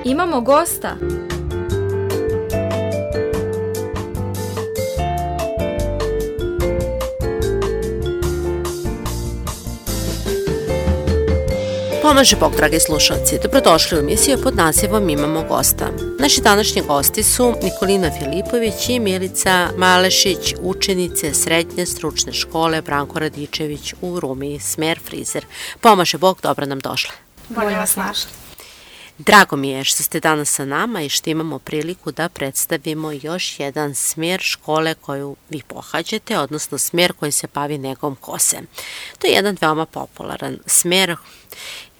Imamo gosta. Pomaže Bog, dragi slušalci, dobrodošli u emisiju pod nazivom Imamo gosta. Naši današnji gosti su Nikolina Filipović i Milica Malešić, učenice Srednje stručne škole Branko Radičević u Rumiji, smer frizer. Pomaže Bog, dobro nam došle. Bolje vas našli. Drago mi je što ste danas sa nama i što imamo priliku da predstavimo još jedan smjer škole koju vi pohađate, odnosno smjer koji se bavi negom kose. To je jedan veoma popularan smjer,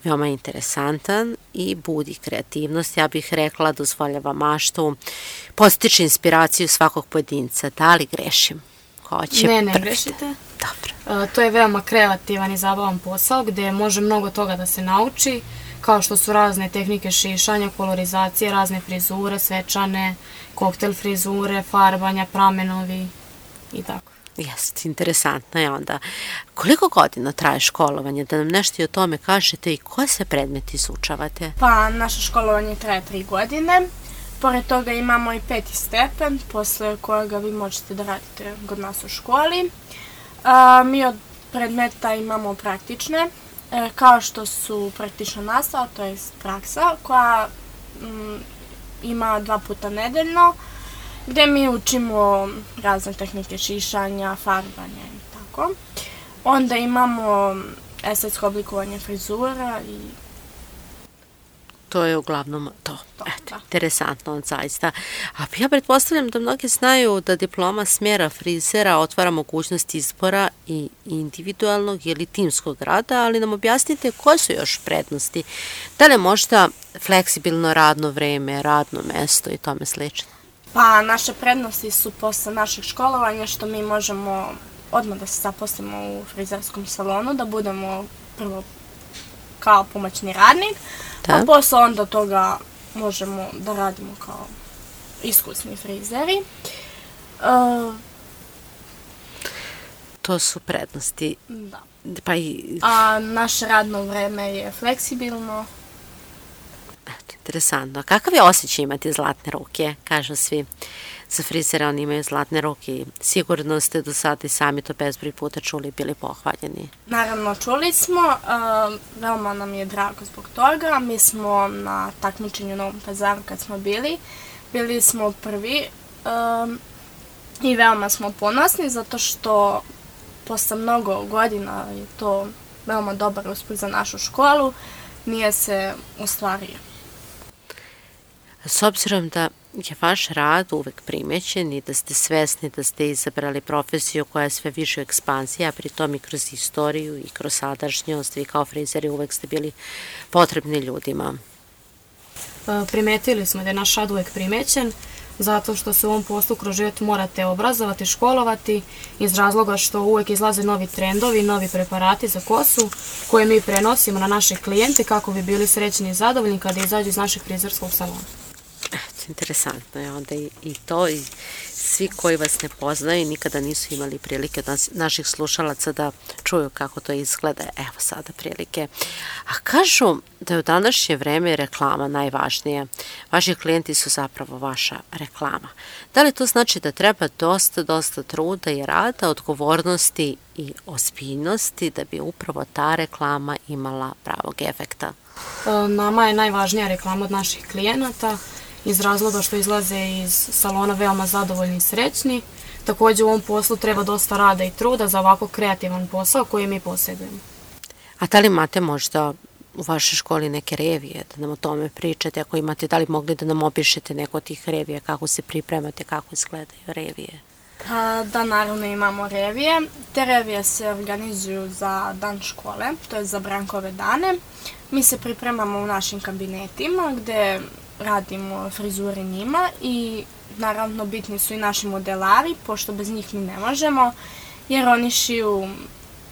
veoma interesantan i budi kreativnost, ja bih rekla, dozvoljava maštu, postiče inspiraciju svakog pojedinca. Da li grešim? Ne grešite. Dobro. To je veoma kreativan i zabavan posao gdje može mnogo toga da se nauči, kao što su razne tehnike šišanja, kolorizacije, razne frizure, svečane, koktel frizure, farbanja, pramenovi i tako. Jeste, interesantno je onda. Koliko godina traje školovanje? Da nam nešto i o tome kažete i koje se predmeti izučavate? Pa, naše školovanje traje 3 godine. Pored toga imamo i 5. stepen, posle kojega vi možete da radite kod nas u školi. Mi od predmeta imamo praktične, kao što su praktična nastava, to je praksa, koja ima 2 puta nedeljno, gdje mi učimo razne tehnike šišanja, farbanja i tako. Onda imamo estetsko oblikovanje frizura i... To je uglavnom to. Eto, interesantno, zaista. A ja pretpostavljam da mnogi znaju da diploma smjera frizera otvara mogućnost izbora i individualnog ili timskog rada, ali nam objasnite koje su još prednosti. Da li je možda fleksibilno radno vreme, radno mesto i tome slično? Pa, naše prednosti su posle našeg školovanja što mi možemo odmah da se zaposlimo u frizerskom salonu, da budemo prvo kao pomoćni radnik, a posle onda toga možemo da radimo kao iskusni frizeri. To su prednosti. Da. Pa a naše radno vreme je fleksibilno. Interesantno. Kakav je osjećaj imati zlatne ruke? Kažu svi za frizera, oni imaju zlatne ruke i sigurno ste do sada i sami to bezbroj puta čuli i bili pohvaljeni. Naravno, čuli smo. Veoma nam je drago zbog toga. Mi smo na takmičenju u Novom Pazaru kad smo bili smo prvi i veoma smo ponosni zato što posle mnogo godina je to veoma dobar uspeh za našu školu. Nije se ostvario. S obzirom da je vaš rad uvek primećen i da ste svesni da ste izabrali profesiju koja je sve više u ekspanziji, a pritom i kroz istoriju i kroz sadašnjost, vi kao frizeri uvek ste bili potrebni ljudima. Primetili smo da je naš rad uvek primećen, zato što se u ovom poslu kroz život morate obrazovati, školovati, iz razloga što uvek izlaze novi trendovi, novi preparati za kosu koje mi prenosimo na naše klijente kako bi bili srećni i zadovoljni kada izađu iz našeg frizerskog salona. Interesantno je onda i to i svi koji vas ne poznaju nikada nisu imali prilike od naših slušalaca da čuju kako to izgleda. Evo sada prilike. A kažu da je u današnje vreme reklama najvažnija. Vaši klijenti su zapravo vaša reklama. Da li to znači da treba dosta truda i rada, odgovornosti i ozbiljnosti da bi upravo ta reklama imala pravog efekta? Nama je najvažnija reklama od naših klijenata, iz razloga što izlaze iz salona veoma zadovoljni i srećni. Također u ovom poslu treba dosta rada i truda za ovako kreativan posao koji mi posjedujemo. A da li imate možda u vašoj školi neke revije, da nam o tome pričate? Ako imate, da li mogli da nam opišete neko od tih revija, kako se pripremate, kako izgledaju revije? Da, naravno imamo revije. Te revije se organizuju za dan škole, to je za Brankove dane. Mi se pripremamo u našim kabinetima gdje radimo frizure njima i naravno bitni su i naši modelari, pošto bez njih mi ne možemo, jer oni šiju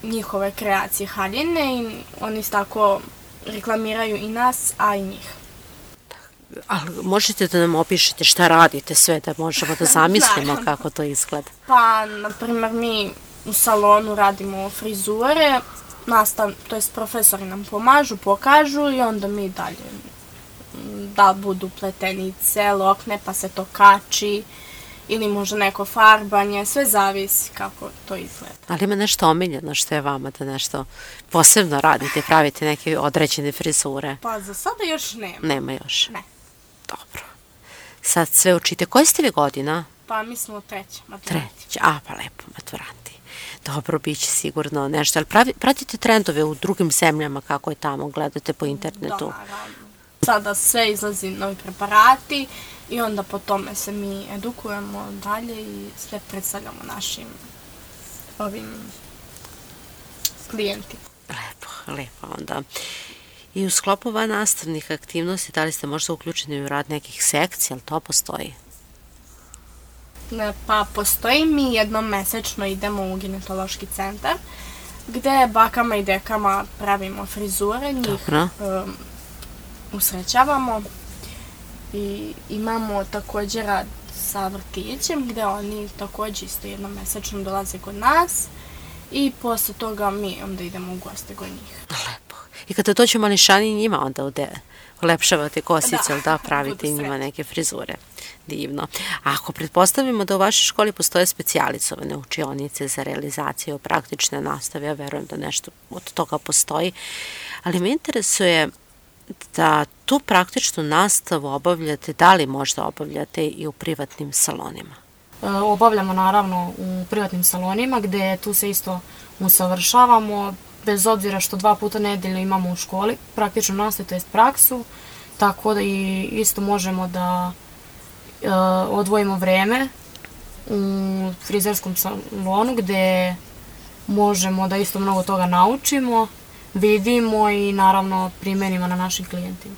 njihove kreacije haljine i oni tako reklamiraju i nas, a i njih. Ali možete da nam opišete šta radite sve, da možemo da zamislimo kako to izgleda? Pa, na primjer, mi u salonu radimo frizure, to jest profesori nam pomažu, pokažu i onda mi dalje da li budu pletenice, lokne, pa se to kači, ili možda neko farbanje, sve zavisi kako to izgleda. Ali ima nešto omiljeno što je vama da nešto posebno radite, pravite neke određene frizure? Pa za sada još nema. Nema još? Ne. Dobro. Sad sve učite. Koje ste vi godina? Pa mi smo treća, maturanti. Treća, pa lepo, maturanti. Dobro, bit će sigurno nešto. Ali pratite trendove u drugim zemljama, kako je tamo, gledate po internetu? Da, naravno. Sada sve izlazi novi preparati i onda po tome se mi edukujemo dalje i sve predstavljamo našim klijentima. Lepo onda. I u sklopu nastavnih aktivnosti, da li ste možda uključeni u rad nekih sekcija, ali to postoji? Pa postoji, mi jednom mesečno idemo u ginekološki centar gde bakama i dekama pravimo frizure, njih usrećavamo i imamo također rad sa vrtićem gde oni također isto jednom mesečno dolaze kod nas i posle toga mi onda idemo u goste kod njih. Lepo. I kada dođu mališani njima onda ulepšavate kosicu, da pravite njima neke frizure. Divno. A ako pretpostavimo da u vašoj školi postoje specijalizovane učionice za realizaciju praktične nastave, ja verujem da nešto od toga postoji, ali me interesuje da tu praktičnu nastavu obavljate, da li možda obavljate i u privatnim salonima? Obavljamo naravno u privatnim salonima gde tu se isto usavršavamo, bez obzira što 2 puta nedeljno imamo u školi praktičnu nastavu, to jest praksu, tako da i isto možemo da odvojimo vreme u frizerskom salonu gde možemo da isto mnogo toga naučimo, vidimo i naravno primenimo na našim klijentima.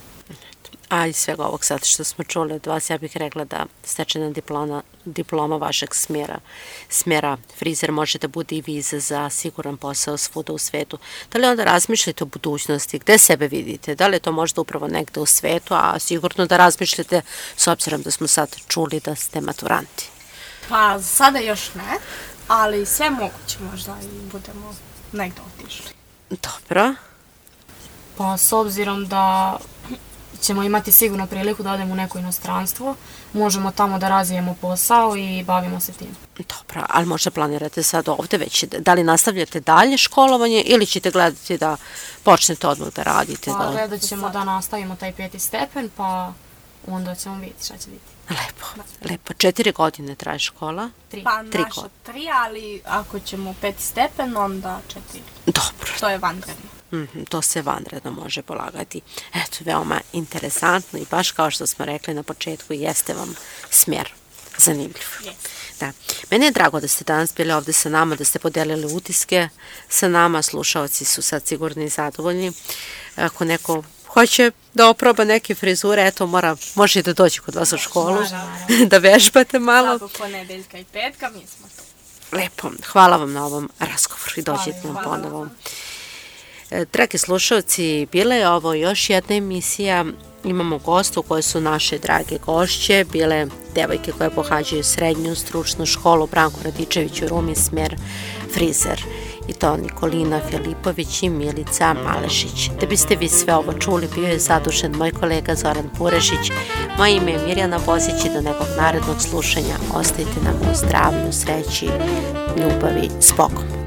A iz svega ovog sad što smo čuli od vas, ja bih rekla da stečena diploma vašeg smjera frizer može da bude i viza za siguran posao svuda u svetu. Da li onda razmišljate o budućnosti, gde sebe vidite? Da li je to možda upravo negde u svetu, a sigurno da razmišljate s obzirom da smo sad čuli da ste maturanti? Pa sada još ne, ali sve moguće možda i budemo negde otišli. Dobro. Pa s obzirom da ćemo imati sigurno priliku da odemo u neko inostranstvo, možemo tamo da razvijemo posao i bavimo se tim. Dobro, ali možda planirate sad ovde već, da li nastavljate dalje školovanje ili ćete gledati da počnete odmah da radite? Pa gledat ćemo da nastavimo taj 5. stepen, pa onda ćemo vidjeti šta će biti. Lepo. 4 godine traje škola? 3. Pa naša 3, ali ako ćemo 5. stepen, onda 4. Dobro. To je vanredno. To se vanredno može polagati. Eto, veoma interesantno i baš kao što smo rekli na početku, jeste vam smjer zanimljiv. Da. Meni je drago da ste danas bili ovde sa nama, da ste podelili utiske sa nama, slušalci su sad sigurni i zadovoljni. Ako neko hoće da oproba neke frizure, eto, može i da dođe kod vas u školu, da vežbate malo. Svakog ponedeljka i petka, mi smo tu. Lepo, hvala vam na ovom razgovoru i dođete nam ponovo. Dragi slušalci, bila je ovo još jedna emisija. Imamo gostu koje su naše drage gošće, bile devojke koje pohađaju srednju stručnu školu Branko Radičević u Rumi, smjer frizer. I to Nikolina Filipović i Milica Malešić. Da biste vi sve ovo čuli, bio je zadužen moj kolega Zoran Purešić. Moje ime je Mirjana Bozić i do nekog narednog slušanja. Ostajte nam u zdravlju, sreći, ljubavi, s Bogom.